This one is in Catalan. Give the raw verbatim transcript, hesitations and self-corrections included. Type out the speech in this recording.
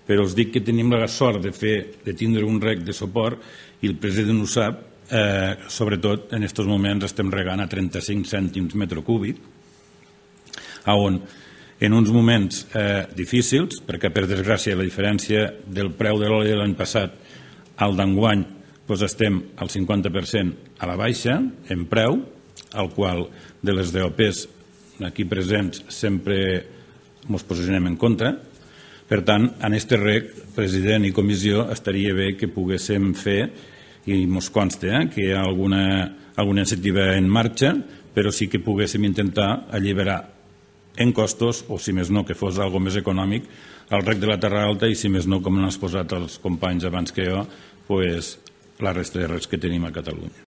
però us dic que tenim la sort de fer de tindre un reg de suport i el president ho sap, eh, sobretot en aquests moments estem regant a trenta-cinc cèntims metre cúbic, on en uns moments eh, difícils, perquè per desgràcia la diferència del preu de l'oli de l'any passat al d'enguany doncs estem al cinquanta per cent a la baixa en preu, al qual de les D O Pes aquí presents sempre ens posicionem en contra. Per tant, en aquest reg, president i comissió, estaria bé que poguéssim fer, i ens consta eh, que hi ha alguna, alguna iniciativa en marxa, però sí que poguéssim intentar alliberar en costos, o si més no, que fos algo més econòmic, el reg de la Terra Alta i si més no, com han exposat els companys abans que jo, pues, la resta de regs que tenim a Catalunya.